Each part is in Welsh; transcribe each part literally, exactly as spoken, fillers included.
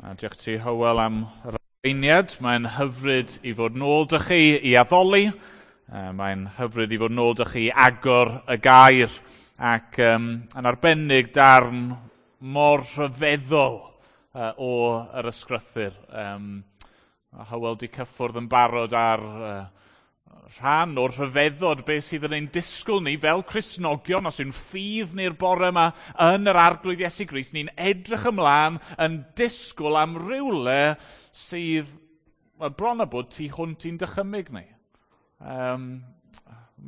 A diolch ti, Hywel, am yr arweiniad. Mae'n hyfryd i fod nôl 'da chi i addoli. Mae'n hyfryd i fod nôl 'da chi i agor y gair ac um, yn arbennig darn mor rhyfeddol uh, o yr ysgrythur. Um, Hywel 'di cyffwrdd yn barod ar uh, rhan o'r rhyfeddod beth sydd yn ein disgwyl ni fel Cristnogion, os yw'n ffydd ni'r bore yma yn yr Arglwydd Iesu Grist, ni'n edrych ymlaen yn disgwyl am rywle sydd, well, bron a bod tu hwnt i'n dychymyg ni. Um,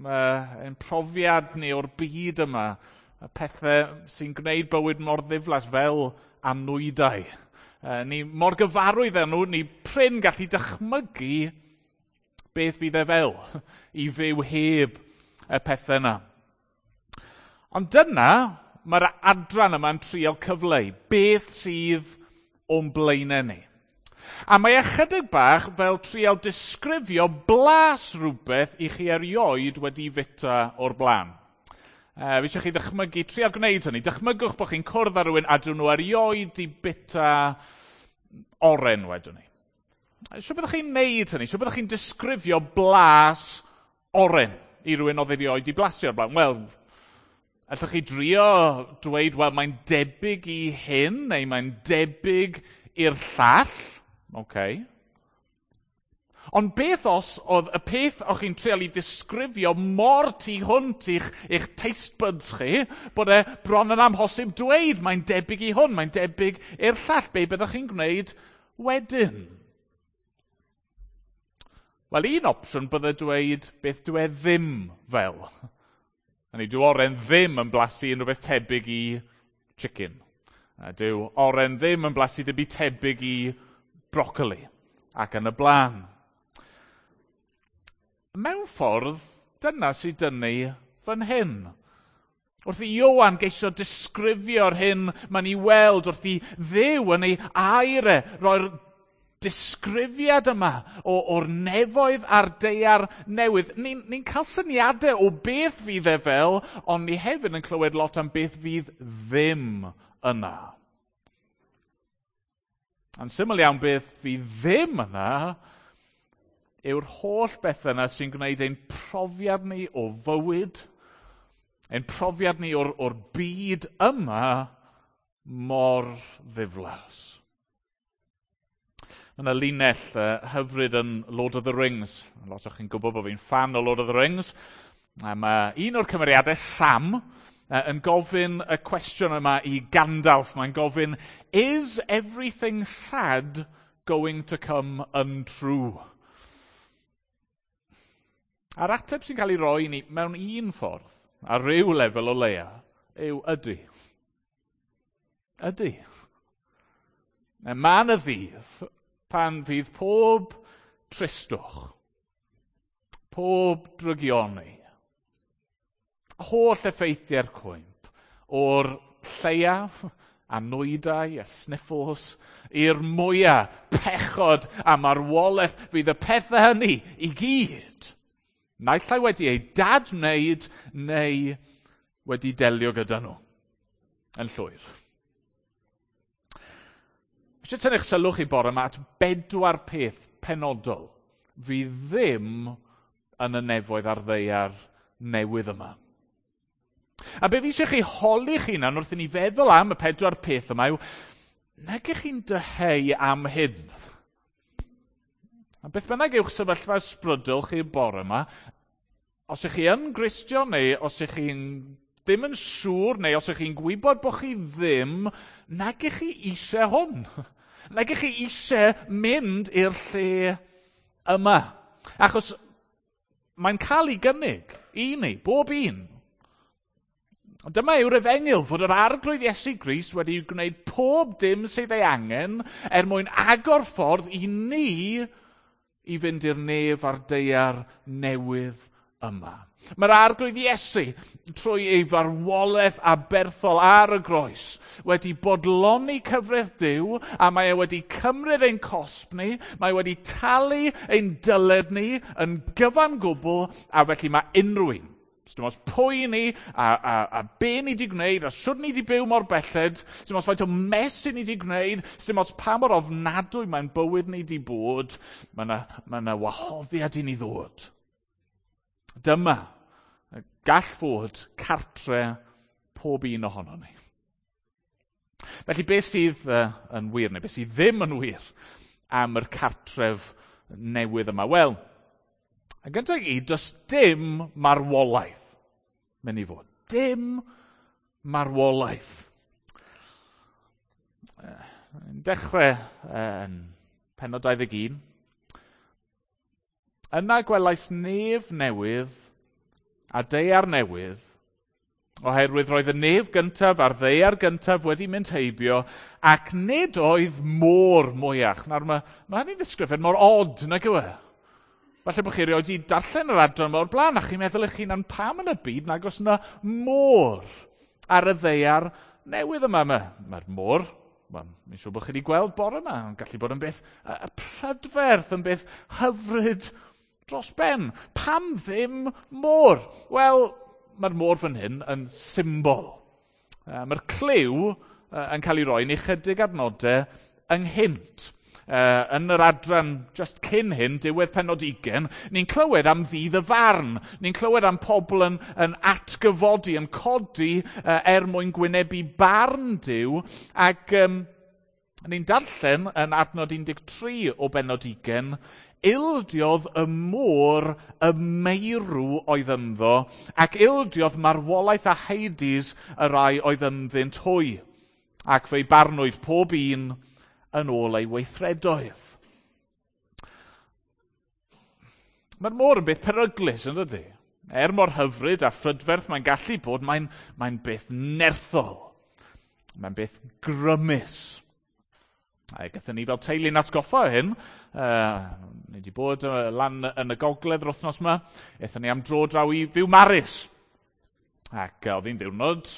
mae ein profiad ni o'r byd yma, y pethau sy'n gwneud bywyd mor ddiflas fel anwydau. Uh, ni mor gyfarwydd â nhw, ni prin gallu dychmygu beth fydd e fel i fyw heb y pethau yna. Ond dyna, mae'r adran yma'n trial cyfleu beth sydd o'n blaenau ni. A mae ychydig bach fel trial disgrifio blas rhywbeth i chi erioed wedi fita o'r blaen. E, fi eisiau chi ddychmygu, trial gwneud hynny. Dychmygwch bod chi'n cwrdd â rhywun a dyn nhw erioed 'di bita oren wedwn ni. Shwt byddwch chi'n neud hynny? Shwt byddwch chi'n disgrifio blas oren i rywun oedd erioed 'di blasu o'r blaen? Wel, allwch chi drio dweud, wel, mae'n debyg i hyn, neu mae'n debyg i'r llall. Okay. Ond beth os oedd y peth o'ch chi'n trial i disgrifio mor tu hwnt i'ch, i'ch taste buds chi, bod e bron yn amhosib dweud mae'n debyg i hwn, mae'n debyg i'r llall. Be byddwch chi'n gwneud wedyn? Wel, un opsiwn bydde dweud beth dyw e ddim fel. Hynny, dyw oren ddim yn blasu unrhyw beth tebyg i chicken. Dyw oren ddim yn blasu dim byd tebyg i brocoli ac yn y blaen. Mewn ffordd, dyna sydd dynnu fan hyn. Wrth i Ioan geisio disgrifio'r hyn mae'n ei weld, wrth i Dduw yn ei air e, roi'r disgrifiad yma o, o'r nefoedd a'r daear newydd. Ni'n ni cael syniadau o beth fydd e fel, ond ni hefyd yn clywed lot am beth fydd ddim yna. A'n syml iawn, beth fydd ddim yna yw'r holl bethau yna sy'n gwneud ein profiad ni o fywyd, ein profiad ni o'r, o'r byd yma mor ddiflas. Mae yna linell uh, hyfryd yn Lord of the Rings. Lot o chi'n gwybod bod fi'n fan o Lord of the Rings. A mae un o'r cymeriadau, Sam, uh, yn gofyn y cwestiwn yma i Gandalf. Mae'n gofyn, "Is everything sad going to come untrue?" A'r ateb sy'n cael ei roi i ni mewn un ffordd, ar ryw lefel o leia, yw ydy. Ydy. Mae yna ddydd pan fydd pob tristwch, pob drygioni, holl effeithiau'r cwymp, o'r lleiaf a nwydau a sniffles i'r mwyaf pechod a marwolaeth, fydd y pethau hynny i gyd naill ai wedi ei dadwneud neu wedi delio gyda nhw yn llwyr. Eisiau tynnu'ch sylw chi bore yma at bedwar peth penodol fydd ddim yn y nefoedd a'r ddaear newydd yma. A be fi eisiau chi holi'ch hunan wrth i ni feddwl am y pedwar peth yma yw, nag ych chi'n dyheu am hyn? A beth bynnag yw'ch sefyllfa ysbrydol chi bore yma, os ych chi yn Gristion neu os ych chi'n ddim yn siŵr neu os ych chi'n gwybod bod chi ddim, nag ych chi eisiau hwn. Nag ych chi eisiau mynd i'r lle yma. Achos mae'n cael ei gynnig i ni, bob un. Dyma yw'r efengyl, fod yr Arglwydd Iesu Grist wedi gwneud pob dim sydd ei angen er mwyn agor ffordd i ni i fynd i'r nef a'r daear newydd yma. Mae'r Arglwydd Iesu, trwy ei farwolaeth aberthol ar y groes, wedi bodloni cyfraith Duw, a mae e wedi cymryd ein cosb ni, mae wedi talu ein dyled ni yn gyfan gwbl, a felly mae unrhyw un Dim ots pwy ni, a, a, a be ni wedi gwneud, a shwd ni wedi byw mor belled, dim ots faint o mess ni wedi gwneud, dim ots pa mor ofnadwy mae'n bywyd ni wedi bod, mae yna ma yna wahoddiad i ni ddod. Dyma gall fod cartre pob un ohono ni. Felly beth sydd uh, yn wir, neu beth sydd ddim yn wir am yr cartref newydd yma? Wel, yn gyntaf i gyd, does dim marwolaeth mynd i fod. Dim marwolaeth. Yn dechrau yn pennod dau ddeg un, yna gwelais nef newydd a daear newydd, oherwydd roedd y nef gyntaf a'r ddaear gyntaf wedi mynd heibio, ac nid oedd môr mwyach. Nawr mae, mae hynny'n ddisgrifiad mor od, nag yw e? Falle bod chi erioed wedi darllen yr adran yma o'r blaen, a chi'n meddwl eich hunan pam yn y byd nag oes yna môr ar y ddaear newydd yma. Mae'r mae môr, mae'n siŵr bod chi wedi gweld bore yma, yn gallu bod yn beth prydferth, yn beth hyfryd dros ben. Pam ddim môr? Wel, mae'r môr fan hyn yn symbol. Mae'r cliw yn cael ei roi yn ychydig adnodau ynghynt. Uh, yn yr adran just cyn hyn, diwedd pennod ugain, ni'n clywed am ddydd y farn. Ni'n clywed am pobl yn, yn atgyfodi, yn codi uh, er mwyn gwynebu barn Duw. Ac um, ni'n darllen yn adnod un deg tri o bennod ugain, ildiodd y môr y meirw oedd ynddo, ac ildiodd marwolaeth a Hades y rai oedd ynddynt hwy, ac fe'i barnwyd pob un yn ôl ei weithredoedd. Mae'r môr yn beth peryglus, yn dydy? Er mor hyfryd a phrydferth mae'n gallu bod, mae'n, mae'n beth nerthol. Mae'n beth grymus. A gathon ni fel teulu'n atgoffa o hyn. Uh, ni wedi bod uh, lan yn y gogledd yr wythnos yma. Aethon ni am dro draw i Fiwmaris. Ac uh, oedd hi'n ddiwrnod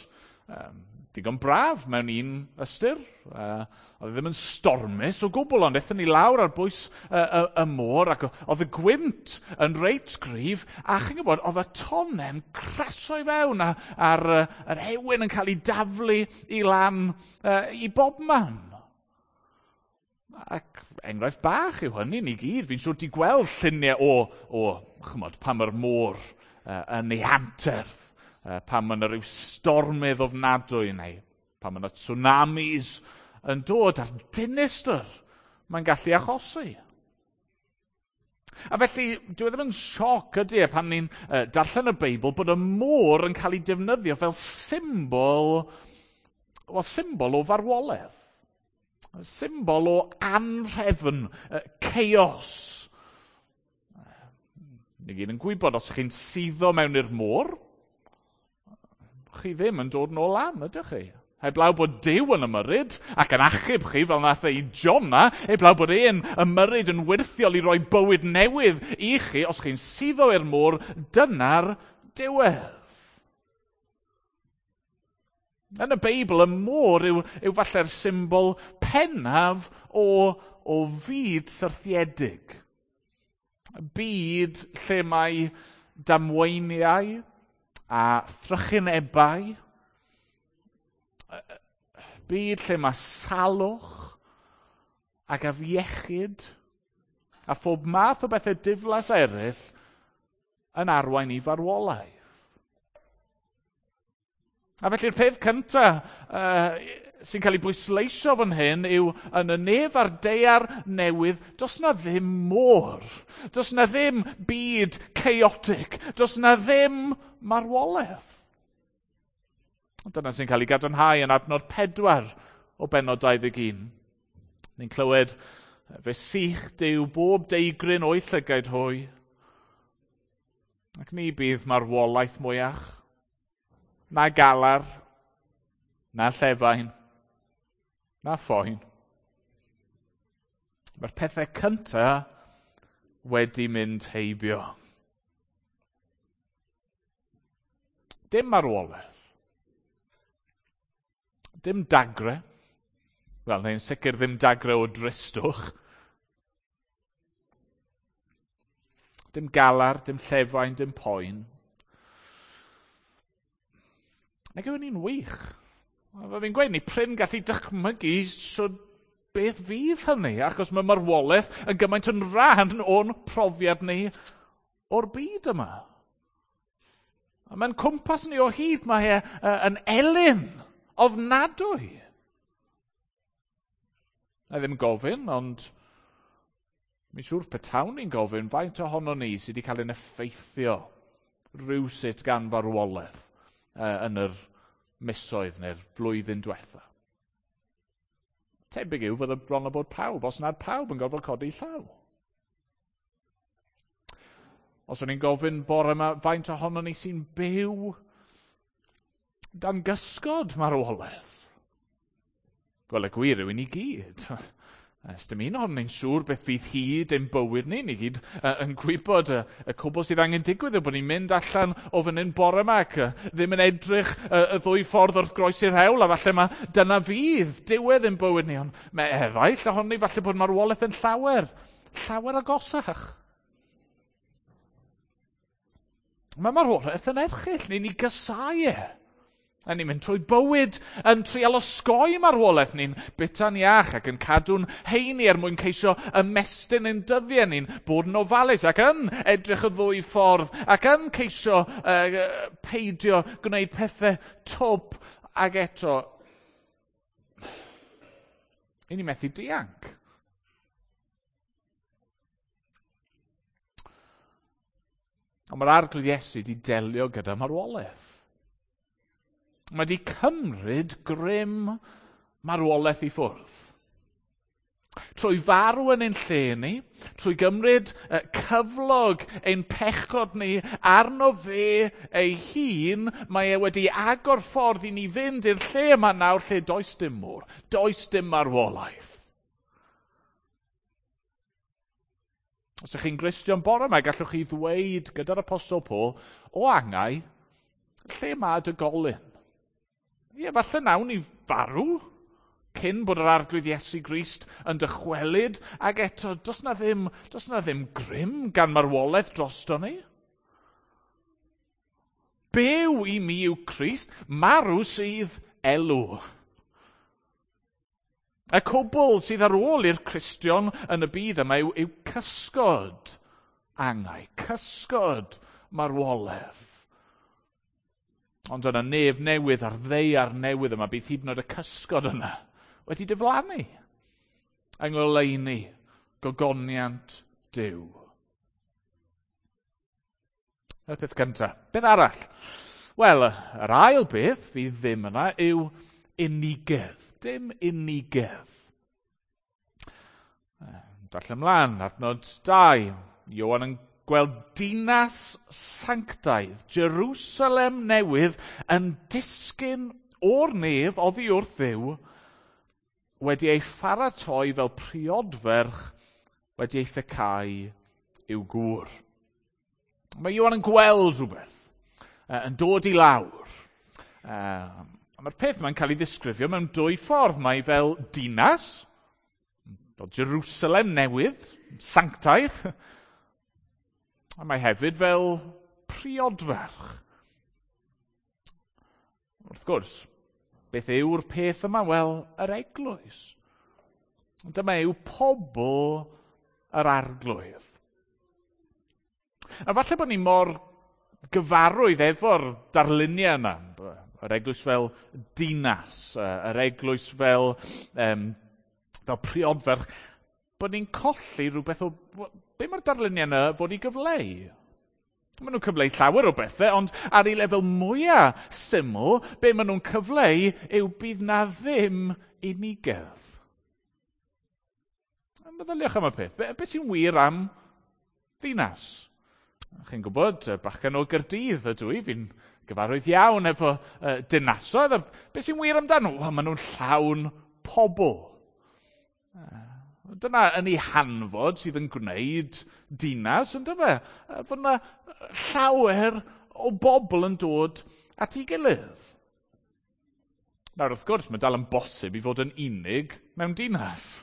um, digon braf mewn un ystyr. Uh, oedd e ddim yn stormus o gwbl, ond aethon ni lawr ar bwys uh, y, y môr, ac oedd y gwynt yn reit gryf, a chi'n gwybod, oedd y tonnen crasio i fewn, a, a'r uh, yr ewyn yn cael ei daflu i lan uh, i bobman. Ac enghraifft bach yw hynny ni gyd. Fi'n siŵr di gweld lluniau o, o chymod, pan mae'r môr uh, yn ei anterth, uh, pan mae yna rhyw stormydd ofnadwy neu pan mae yna tsunamis yn dod a'r dinistr mae'n gallu achosi. A felly, dyw e ddim yn sioc ydy e pan ni'n uh, darllen y Beibl bod y môr yn cael ei defnyddio fel symbol, well, symbol o farwolaeth. Symbol o anrhefn, chaos. Ni gyd yn gwybod, os ych chi'n suddo mewn i'r môr, chi ddim yn dod nôl lan, ydych chi? Heblaw bod Duw yn ymyrryd ac yn achub chi fel nath e i Jona, heblaw bod e'n ymyrryd yn wyrthiol i roi bywyd newydd i chi, os chi'n suddo i'r môr, dyna'r diwedd. Yn y Beibl, y môr yw, yw falle'r symbol pennaf o, o fyd syrthiedig. Byd lle mae damweiniau a thrychinebau. Byd lle mae salwch ac afiechyd a phob math o bethau diflas eraill yn arwain i farwolaeth. A felly'r peth cyntaf uh, sy'n cael ei bwysleisio fan hyn yw yn y nef a'r daear newydd, does na ddim môr, does na ddim byd chaotic, does na ddim marwolaeth. Dyna sy'n cael ei gadarnhau yn adnod pedwar o bennod dau ddeg un. Ni'n clywed, fe sych Duw bob deigryn o'i llygaid hwy, ac ni bydd marwolaeth mwyach, na galar, na llefain, na phoen. Mae'r pethau cyntaf wedi mynd heibio. Dim marwolaeth. Dim dagre. Wel, neu'n sicr ddim dagre o dristwch. Dim galar, dim llefain, dim poen. Nag yw hynny'n wych? Fel fi'n gweud, ni prin gallu dychmygu shwd beth fydd hynny, achos mae marwolaeth yn gymaint yn rhan o'n profiad ni o'r byd yma. A mae'n cwmpas ni o hyd, mae e yn elyn ofnadwy. Na ddim gofyn, ond mi'n siŵr petawn ni'n gofyn faint ohono ni sydd wedi cael ein effeithio rhywsut gan farwolaeth yn yr misoedd neu'r blwyddyn diwetha. Tebyg yw fydde bron o bod pawb, os nad pawb yn gorfod codi llaw. Os o'n i'n gofyn bore yma, faint ohono ni sy'n byw dan gysgod marwolaeth? Wel, y gwir yw i ni gyd. Ys dim un ohonon ni'n siŵr beth fydd hyd ein bywyd ni. Ni gyd uh, yn gwybod y, y cwbl sydd angen digwydd yw bod ni'n mynd allan o fan hyn bore yma ac uh, ddim yn edrych uh, y ddwy ffordd wrth groesi'r hewl, a falle mae dyna fydd diwedd ein bywyd ni. Ond mae eraill ohonon ni falle bod marwolaeth yn llawer, llawer agosach. Mae marwolaeth yn erchyll, ni'n ei gysau e. A ni'n mynd trwy bywyd yn trial osgoi marwolaeth. Ni'n bita'n iach ac yn cadw'n heini er mwyn ceisio ymestyn ein dyddiau. Ni'n bod yn ofalus ac yn edrych y ddwy ffordd ac yn ceisio uh, peidio gwneud pethau twp, ac eto i ni methu dianc. Ond mae'r Arglwydd Iesu wedi delio gyda marwolaeth. Mae wedi cymryd grym marwolaeth i ffwrdd. Trwy farw yn ein lle ni, trwy gymryd cyflog ein pechod ni arno fe ei hun, mae e wedi agor ffordd i ni fynd i'r lle yma nawr lle does dim môr, does dim marwolaeth. Os ydych chi'n Gristion bore yma, gallwch chi ddweud gyda'r Apostol Paul, o angau, lle mae dy golyn? Ie, falle nawn ni farw cyn bod yr Arglwydd Iesu Grist yn dychwelyd, ac eto, does na ddim, does na ddim grym gan marwolaeth drosto ni. Byw i mi yw Crist, marw sydd elw. Y cwbl sydd ar ôl i'r Cristion yn y byd yma yw, yw cysgod angau, cysgod marwolaeth. Ond yna nef newydd a'r ddaear newydd yma, bydd hyd yn oed y cysgod yna wedi diflannu yng ngoleuni gogoniant Duw. Y peth cyntaf. Beth arall? Wel, yr ail beth fydd ddim yna yw unigedd. Dim unigedd. Darllen ymlaen, adnod dau. Ioan yn gweld dinas sanctaidd, Jerusalem newydd, yn disgyn o'r nef oddi wrth Dduw, wedi ei pharatoi fel priodferch wedi ei thecau i'w gŵr. Mae Ioan yn gweld rhywbeth, yn dod i lawr. A mae'r peth mae'n cael ei ddisgrifio mewn dwy ffordd. Mae fel dinas, fel Jerusalem newydd, sanctaidd, a mae hefyd fel priodferch. Wrth gwrs, beth yw'r peth yma? Wel, yr eglwys. Dyma yw pobl yr Arglwydd. A falle bod ni mor gyfarwydd efo'r darluniau yna. Yr eglwys fel dinas, yr eglwys fel, um, fel priodferch, bod ni'n colli rhywbeth o... Be mae'r darluniau yna fod i gyfleu? Maen nhw'n cyfleu llawer o bethau, ond ar ei lefel mwyaf syml, be maen nhw'n cyfleu yw bydd na ddim unigedd. Meddyliwch am y peth. Be, be sy'n wir am ddinas? Chi'n gwybod, bachgen o Gaerdydd ydw i, fi'n gyfarwydd iawn efo uh, dinasoedd. Be sy'n wir amdano? Wel, maen nhw'n llawn pobl. Dyna yn ei hanfod sydd yn gwneud dinas, yn dyfe? Fod yna llawer o bobl yn dod at ei gilydd. Nawr, wrth gwrs, mae dal yn bosib i fod yn unig mewn dinas.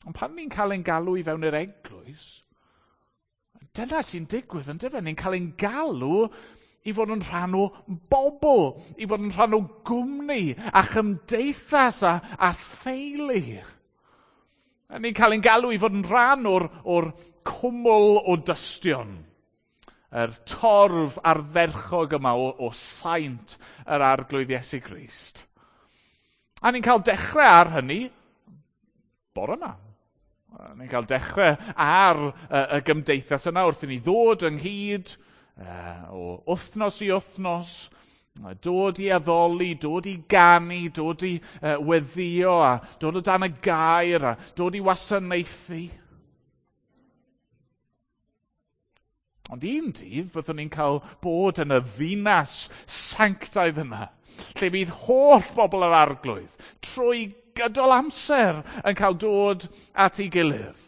Ond pan ni'n cael ein galw i fewn i'r eglwys, Dyna sy'n digwydd, yn dyfe? Ni'n cael ein galw i fod yn rhan o bobl, i fod yn rhan o gwmni, a chymdeithas a, a theulu. A ni'n cael ein galw i fod yn rhan o'r, o'r cwmwl o dystion. Yr torf ardderchog yma o, o saint yr Arglwydd Iesu Grist. A ni'n cael dechrau ar hynny bore yma. Ni'n cael dechrau ar y, y gymdeithas yna wrth i ni ddod ynghyd o wythnos i wythnos, dod i addoli, dod i ganu, dod i weddïo, a dod o dan y gair, a dod i wasanaethu. Ond un dydd fyddwn ni'n cael bod yn y ddinas sanctaidd yna, lle bydd holl bobl yr Arglwydd trwy gydol amser yn cael dod at ei gilydd.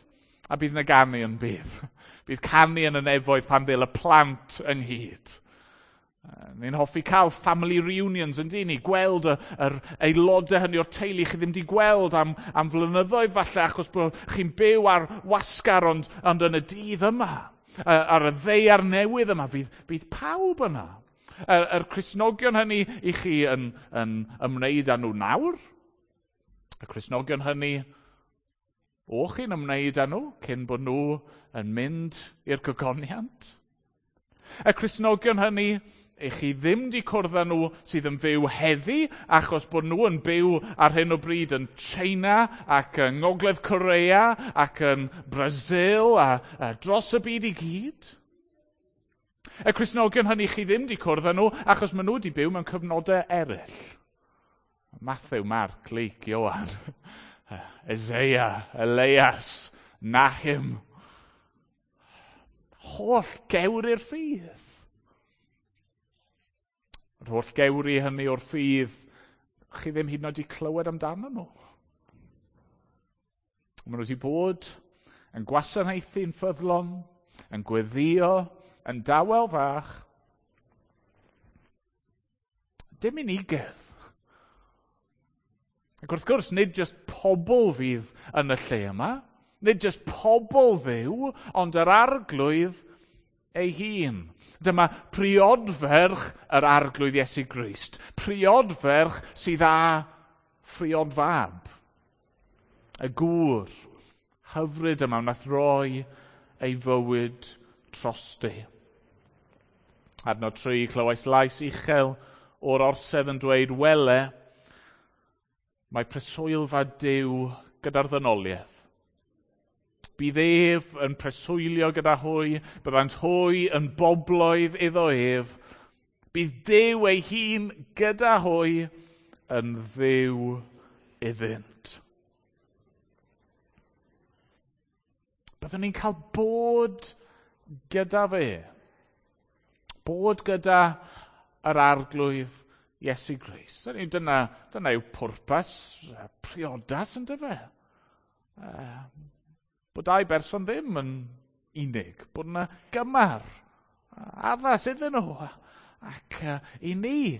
A bydd yna ganu yn bydd. Bydd canu yn y nefoedd pan ddel y plant ynghyd. Ni'n hoffi cael family reunions yn dyn ni, gweld y, yr aelodau hynny o'r teulu chi ddim wedi gweld am, am flynyddoedd falle achos bod chi'n byw ar wasgar ond, ond yn y dydd yma. Ar y ddaear newydd yma, fydd, bydd pawb yna. Yr, yr Cristnogion hynny i chi yn, yn ymwneud â nhw nawr. Y Cristnogion hynny o chi'n ymwneud â nhw cyn bod nhw yn mynd i'r gogoniant. Y Cristnogion hynny i chi ddim di cwrdd â nhw sydd yn fyw heddi achos bod nhw yn byw ar hyn o bryd yn China ac yng Ngogledd Korea ac yn Brazil a, a dros y byd i gyd. Y Cristnogion hynny chi ddim di cwrdd â nhw achos maen nhw wedi byw mewn cyfnodau eraill. Matthew, Mark, Luke, Ioan, Isaiah, Elias, Nahum. Holl gewri'r ffydd. Yr holl gewri hynny o'r ffydd, chi ddim hyd yn oed wedi clywed amdano nhw. Maen nhw wedi bod yn gwasanaethu'n ffyddlon, yn gweddïo, yn dawel fach. Dim unigedd. Ac wrth gwrs, nid jyst pobl fydd yn y lle yma, nid jyst pobl fyw, ond yr Arglwydd ei hun. Dyma priodferch yr Arglwydd Iesu Grist. Priodferch sydd â phriodfab. Y gŵr hyfryd yma wnaeth roi ei fywyd drosti. Adnod tri, clywais lais uchel o'r orsedd yn dweud, wele, mae preswylfa Duw gyda'r ddynoliaeth. Bydd ef yn preswylio gyda hwy, byddant hwy yn bobloedd iddo ef. Bydd Duw ei hun gyda hwy yn Dduw iddynt. Byddwn ni'n cael bod gyda fe. Bod gyda yr Arglwydd Iesu Grist. Dyna, dyna yw pwrpas priodas yn dyfe. Bod dau berson ddim yn unig, bod yna gymar addas iddyn nhw. Ac uh, i ni,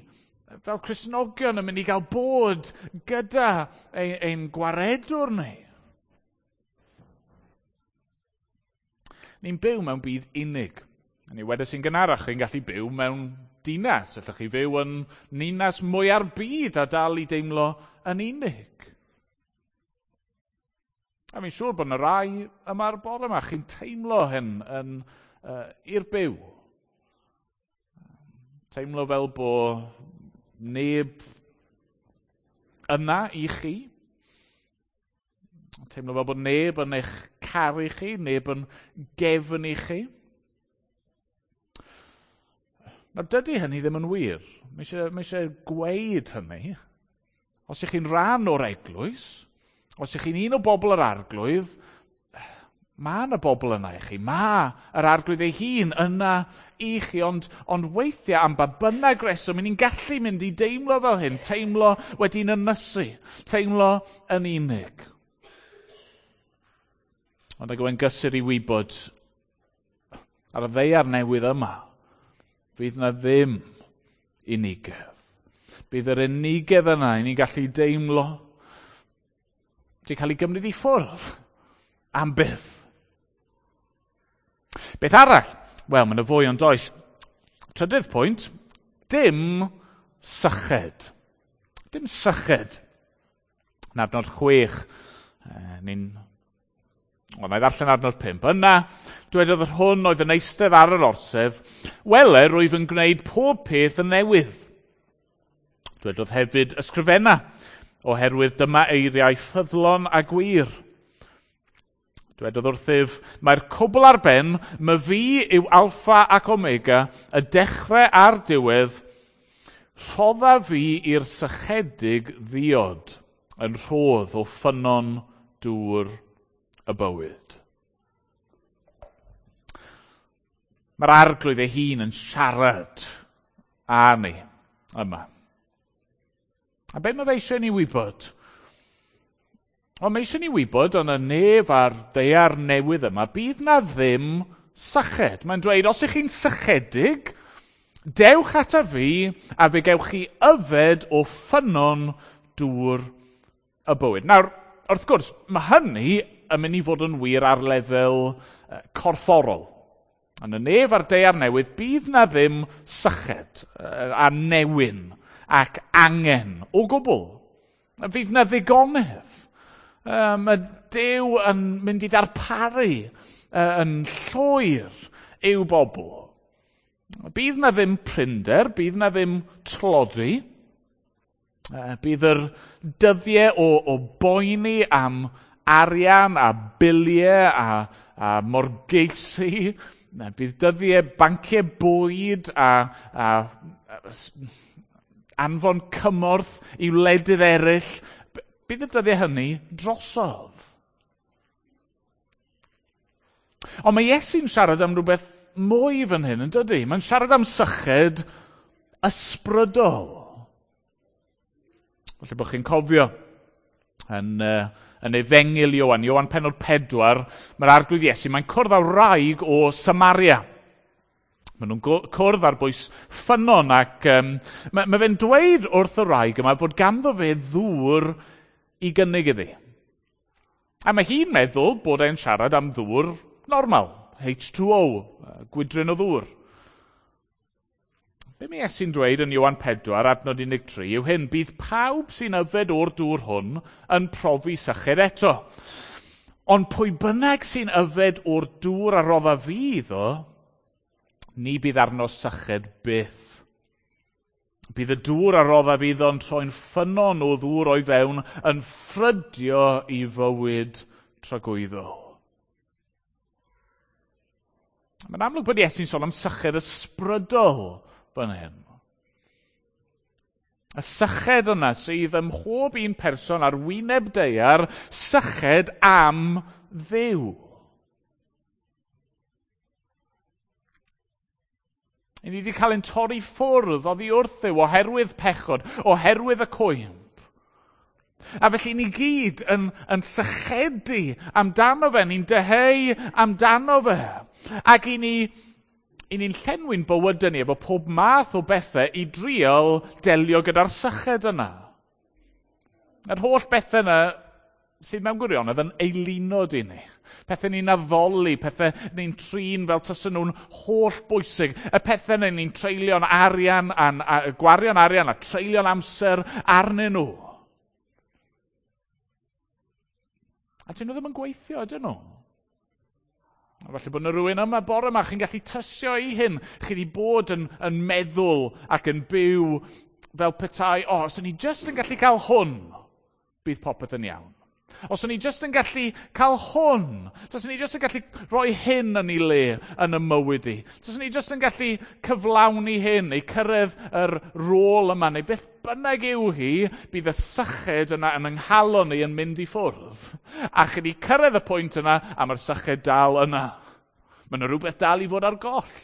fel Cristnogion, yn mynd i gael bod gyda ein, ein gwaredwr ni. Ni'n byw mewn byd unig. A ni wedes i'n gynharach, chi'n gallu byw mewn dinas. Allwch chi fyw yn ninas mwya'r byd a dal i deimlo yn unig. A fi'n siŵr bod yna rai yma'r bore yma, chi'n teimlo hyn yn, uh, i'r byw. Teimlo fel bod neb yna i chi. Teimlo fel bod neb yn eich caru chi, neb yn gefn i chi. Nawr, dydy hynny ddim yn wir. Mae eisiau, mae eisiau gweud hynny. Os ych chi'n rhan o'r eglwys, os ych chi'n un o bobl yr Arglwydd, mae yna bobl yna i chi. Mae yr Arglwydd ei hun yna i chi, ond, ond weithiau am ba bynnag reswm, ni'n gallu mynd i deimlo fel hyn, teimlo wedi'n ynysu, teimlo yn unig. Ond ag yw e'n gysur i wybod ar y ddaear newydd yma, fydd yna ddim unigedd. Bydd yr unigedd yna i ni'n gallu deimlo wedi cael ei gymryd i ffwrdd am byth. Beth arall? Wel, mae yna fwy ond oes. Trydydd pwynt, dim syched. Dim syched. Yn adnod chwech, ni'n... Wel, na i ddarllen adnod pump. Yna, dwedodd yr hwn oedd yn eistedd ar yr orsedd, wele, rwyf yn gwneud pob peth yn newydd. Dwedodd hefyd ysgrifenna, oherwydd dyma eiriau ffyddlon a gwir. Dwedodd wrthyf, mae'r cwbl ar ben, my fi yw alffa ac omega, y dechrau a'r diwedd, rhodda fi i'r sychedig ddiod yn rhodd o ffynnon dŵr y bywyd. Mae'r arglwydd ei hun yn siarad â ni yma. A be mae fe eisiau ni wybod? Wel, mae eisiau ni wybod yn y nef a'r ddaear newydd yma, bydd na ddim syched. Mae'n dweud, os ych chi'n sychedig, dewch ata fi a fe gewch chi yfed o ffynnon dŵr y bywyd. Nawr, wrth gwrs, mae hynny yn mynd i fod yn wir ar lefel corfforol. Yn y nef a'r daear newydd, bydd na ddim syched a newyn ac angen o gwbl. Fydd na ddigonedd. Mae Duw yn mynd i ddarparu yn llwyr i'w bobl. Bydd na ddim prinder, bydd na ddim tlodi. Bydd yr dyddiau o, o boeni am arian a biliau a, a morgeisi. Bydd dyddiau banciau bwyd a, a, a anfon cymorth i wledydd eraill. Bydd y dyddiau hynny drosodd. Ond mae Iesu'n siarad am rhywbeth mwy fan hyn, yn dydy? Mae'n siarad am syched ysbrydol. Falle bod chi'n cofio yn, uh, yn Efengyl Ioan, Ioan pennod pedwar, mae'r arglwydd Iesu, mae'n cwrdd â wraig o Samaria. Maen nhw'n cwrdd ar bwys ffynnon ac um, mae, mae fe'n dweud wrth y wraig yma bod ganddo fe ddŵr i gynnig iddi. A mae hi'n meddwl bod e'n siarad am ddŵr normal, H two O, gwydryn o ddŵr. Be mae Iesu'n dweud yn Ioan pedwar, adnod un deg tri, yw hyn, bydd pawb sy'n yfed o'r dŵr hwn yn profi syched eto. Ond pwy bynnag sy'n yfed o'r dŵr a rodda fi iddo, ni bydd arno syched byth. Bydd y dŵr a rodda fi iddo'n troi'n ffynnon o ddŵr o'i fewn yn ffrydio i fywyd tragwyddol. Mae'n amlwg bod Iesu'n sôn am syched ysbrydol fan hyn. Y syched yna sydd ym mhob un person ar wyneb daear, syched am Dduw. I ni wedi cael ein torri ffwrdd oddi wrth Dduw oherwydd pechod, oherwydd y cwymp. A felly ni gyd yn, yn sychedu amdano fe, ni'n dyheu amdano fe. Ac i ni, i ni'n llenwi'n bywydau ni efo pob math o bethau i drial delio gyda'r syched yna. Yr holl bethau yna sydd mewn gwirionedd yn eilunod i ni. Pethau ni'n addoli, pethau ni'n trin fel tasen nhw'n holl bwysig. Y pethau yna ni'n treulio'n arian, a, a gwario'n arian a treulio'n amser arnyn nhw. A dyn nhw ddim yn gweithio, ydyn nhw? A falle bod yna rhywun yma bore yma, chi'n gallu tysio i hyn. Chi wedi bod yn, yn meddwl ac yn byw fel petai, o, os o'n i jyst yn gallu cael hwn, bydd popeth yn iawn. Os o'n i jyst yn gallu cael hwn, os o'n i jyst yn gallu rhoi hyn yn ei le yn y mywyd i, os o'n i jyst yn gallu cyflawni hyn, neu cyrraedd yr rôl yma, neu beth bynnag yw hi, bydd y syched yna yn ynghalon ni yn mynd i ffwrdd. A chi wedi cyrraedd y pwynt yna, a mae'r syched dal yna. Mae yna rhywbeth dal i fod ar goll.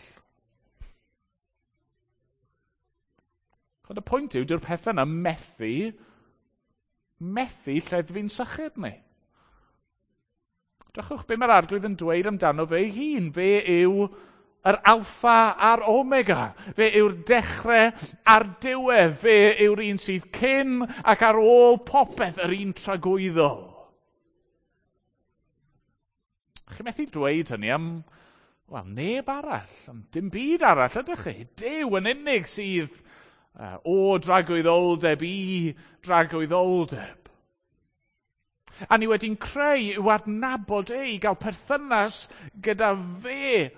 Ond y pwynt yw, dyw'r pethau yna methu methu lleddfu'n syched ni. Drychwch be mae'r arglwydd yn dweud amdano fe ei hun. Fe yw yr alffa a'r omega. Fe yw'r dechrau a'r diwedd. Fe yw'r un sydd cyn ac ar ôl popeth, yr un tragwyddol. Chi methu dweud hynny am Wel, neb arall, dim byd arall ydych chi. Duw yn unig sydd uh, o dragwyddoldeb i dragwyddoldeb. A ni wedi'n creu i'w adnabod e, i gael perthynas gyda fe.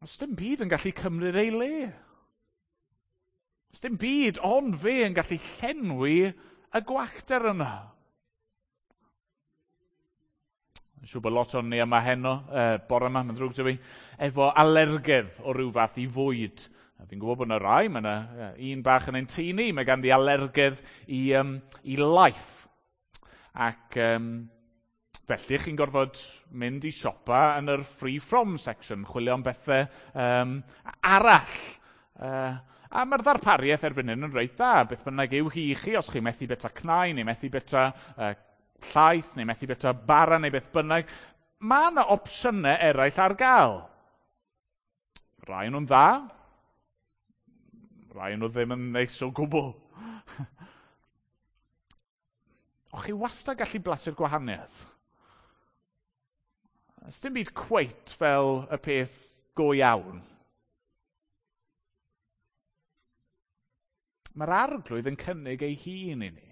Os dim byd yn gallu cymryd ei le. Os dim byd ond fe yn gallu llenwi y gwacter yna. Yn siŵr bod lot o'n ni yma heno, uh, bore yma, mae'n ddrwg 'da fi, efo alergedd o ryw fath i fwyd. A fi'n gwybod bod yna rai, mae yna un bach yn ein tŷ ni, mae ganddi alergedd i, um, i laeth. Ac um, felly chi'n gorfod mynd i siopa yn yr free from section, chwilio am bethau um, arall. Uh, a mae'r ddarpariaeth erbyn hyn yn reit dda, beth bynnag yw hi i chi, os chi'n methu bita cnau neu methu bita uh, llaeth neu methu bita bara neu beth bynnag, mae yna opsiynau eraill ar gael. Rai nhw'n dda, rai nhw ddim yn neis o gwbl. O chi wastad gallu blasu'r gwahaniaeth. Ys dim byd cweit fel y peth go iawn. Mae'r arglwydd yn cynnig ei hun i ni.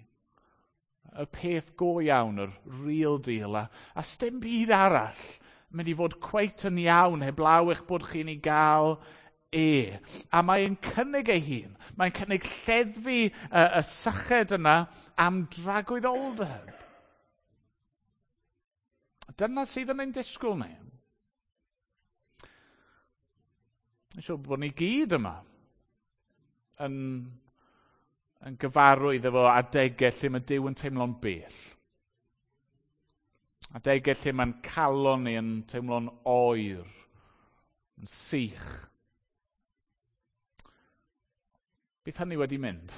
Y peth go iawn, yr real deal, a, a sdim byd arall mynd i fod cweit yn iawn heblaw eich bod chi'n ei gael e. A mae'n cynnig ei hun. Mae'n cynnig lleddfu y, y syched yna am dragwyddoldeb. Dyna sydd yn ein disgwyl ni. Yn siŵr bod ni gyd yma yn, yn gyfarwydd efo adegau lle mae Duw yn teimlo'n bell. Adegau lle mae'n calon ni yn teimlo'n oer, yn sych. Bydd hynny wedi mynd.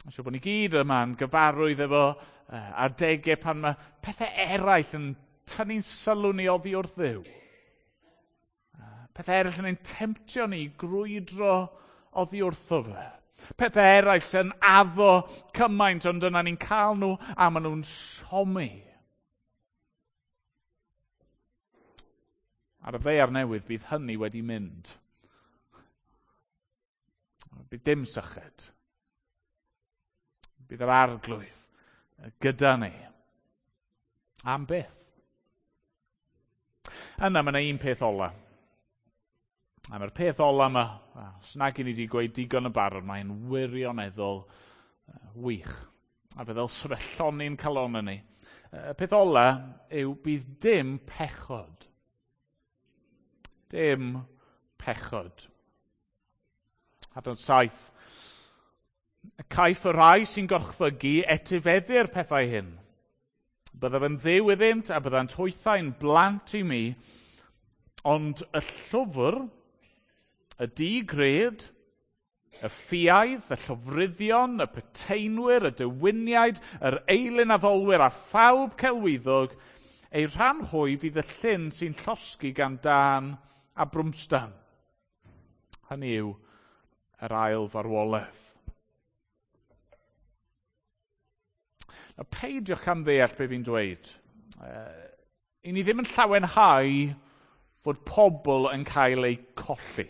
Yn siŵr bod ni gyd yma'n gyfarwydd efo adegau pan mae pethau eraill yn tynnu'n sylw ni oddi wrth Dduw. Pethau eraill yn ein temtio ni i grwydro oddi wrtho fe. Pethau eraill sy'n addo cymaint, ond yna ni'n cael nhw a maen nhw'n siomi. Ar y ddaear newydd bydd hynny wedi mynd. Bydd dim syched. Bydd yr arglwydd gyda ni. Am byth. Yna mae yna un peth ola. A mae'r peth ola yma, os nag i ni wedi gweud digon yn barod, mae'n wirioneddol wych. A fe ddylse fe llonni'n calon ni. Y peth ola yw bydd dim pechod. Dim pechod. Adnod saith. Caiff y rhai sy'n gorchfygu etifeddu'r pethau hyn. Byddaf yn dduw iddynt a byddant hwythau'n blant i mi, ond y llwfr, y digred, y ffiaidd, y llofruddion, y peteinwyr, y dewiniaid, yr eilunaddolwyr a phawb celwyddog, eu rhan hwy fydd y llyn sy'n llosgi gan dân a brwmstan. Hynny yw yr ail farwolaeth. Nawr, peidiwch am ddeall be fi'n dweud. Uh, I ni ddim yn llawenhau fod pobl yn cael eu colli.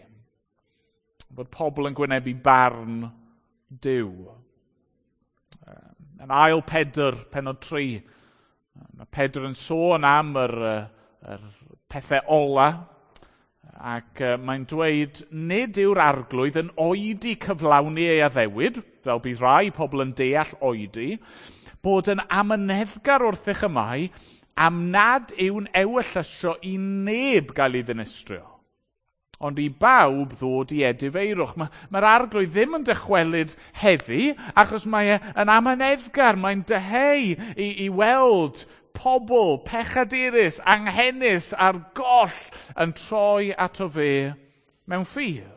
Fod pobl yn gwynebu barn Duw. Uh, yn ail Pedr, pennod tri, mae Pedr yn sôn am yr, yr pethau ola, ac uh, mae'n dweud, nid yw'r arglwydd yn oedi cyflawni ei addewid, fel bydd rai pobl yn deall oedi, bod yn amyneddgar wrthych y mae, am nad yw'n ewyllysio i neb gael ei ddinistrio, ond i bawb ddod i edifeirwch. Mae'r ma arglwydd ddim yn dychwelyd heddi, achos mae e yn amyneddgar, mae'n dyheu i, i weld pobl pechadurus, anghenus a'r goll yn troi ato fe mewn ffydd.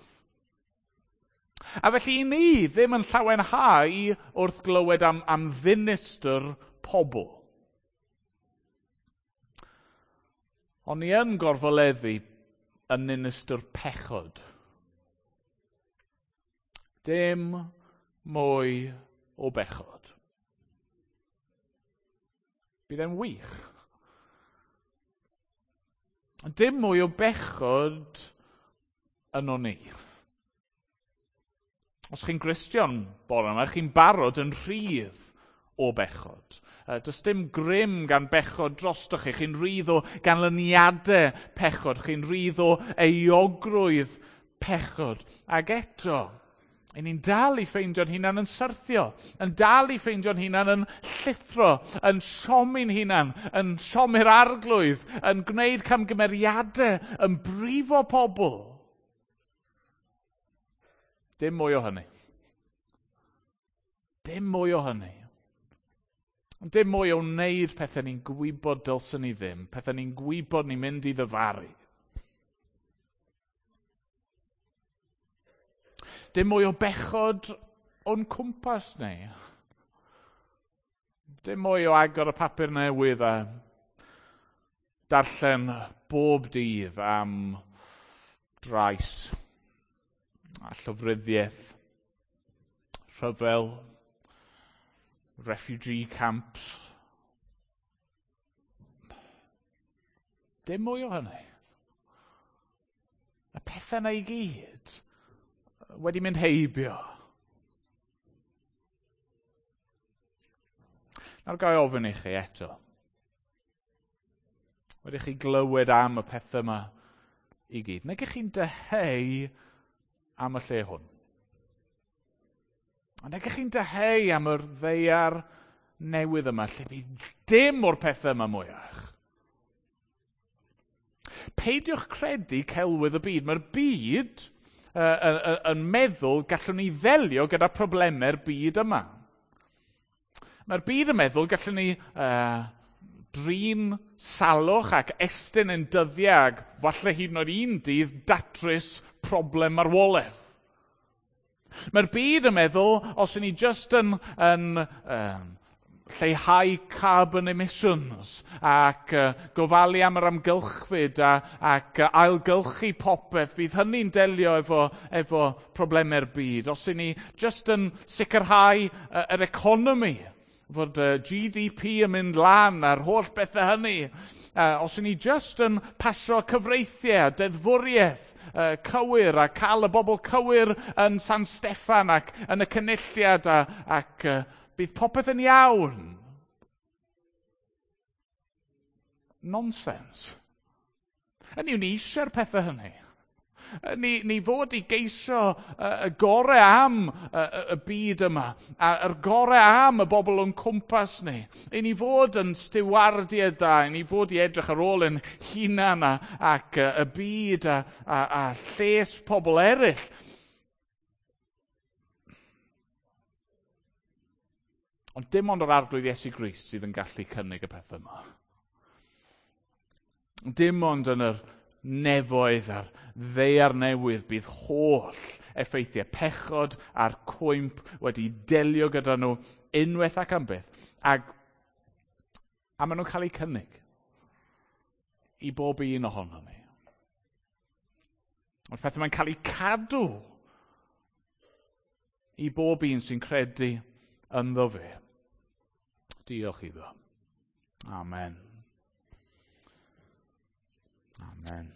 A felly i ni ddim yn llawenhau wrth glywed am, am ddinistr pobl. Ond ni yn gorfoleddu yn ninistr pechod. Dim mwy o bechod. Bydd e'n wych. Dim mwy o bechod yno ni. Os chi'n Gristion bore yma, chi'n barod yn rhydd o bechod. Does dim grym gan bechod drostoch chi. Chi'n rhydd o ganlyniadau pechod. Chi'n rhydd o euogrwydd pechod. Ac eto, i ni'n dal i ffeindio'n hunan yn syrthio, yn dal i ffeindio'n hunan yn llithro, yn siomi'n hunan, yn siomi'r arglwydd, yn gwneud camgymeriadau, yn brifo pobl. Dim mwy o hynny. Dim mwy o hynny. Dim mwy o wneud pethau ni'n gwybod dylswn ni ddim, pethau ni'n gwybod ni'n mynd i ddyfaru. Dim mwy o bechod o'n cwmpas ni. Dim mwy o agor y papur newydd a darllen bob dydd am drais a llofruddiaeth, rhyfel, refugee camps. Dim mwy o hynny. Y pethau yna i gyd wedi mynd heibio. Nawr ga i ofyn i chi eto. Wedi chi glywed am y pethau yma i gyd. Nag ych chi'n dyheu am y lle hwn? Nag ych chi'n dyheu am yr ddaear newydd yma lle bydd dim o'r pethau yma mwyach? Peidiwch credu celwydd y byd. Mae'r byd uh, uh, yn meddwl gallwn ni ddelio gyda problemau'r byd yma. Mae'r byd yn meddwl gallwn ni uh, drin salwch ac estyn yn dyddiau ac falle hyd yn oed un dydd datrys problem marwolaeth. Mae'r byd yn meddwl, os ni just yn, yn um, lleihau carbon emissions ac uh, gofalu am yr amgylchfyd a, ac uh, ailgylchu popeth, fydd hynny'n delio efo, efo problemau'r byd. Os ni just yn sicrhau uh, yr economi, fod uh, G D P yn mynd lan a'r holl bethau hynny. Uh, os ni just yn pasio cyfreithiau, deddfwriaeth uh, cywir a cael y bobl cywir yn San Steffan ac yn y cynulliad a, ac uh, bydd popeth yn iawn. Nonsense. Hynny yw, ni eisiau'r pethau hynny. Ni, ni fod i geisio y gorau am y, y byd yma, a'r gorau am y bobl o'n cwmpas ni. I ni fod yn stiwardiau da, i ni fod i edrych ar ôl yn hunan a, ac y byd a, a, a lles pobl eraill. Ond dim ond yr Arglwydd Iesu Grist sydd yn gallu cynnig y pethau yma. Dim ond yn yr nefoedd a'r ddaear newydd bydd holl effeithiau pechod a'r cwymp wedi delio gyda nhw unwaith ac am byth. Ac, a maen nhw'n cael eu cynnig i bob un ohono ni. Ond pethau mae'n cael eu cadw i bob un sy'n credu ynddo fe. Diolch iddo. Amen. Amen.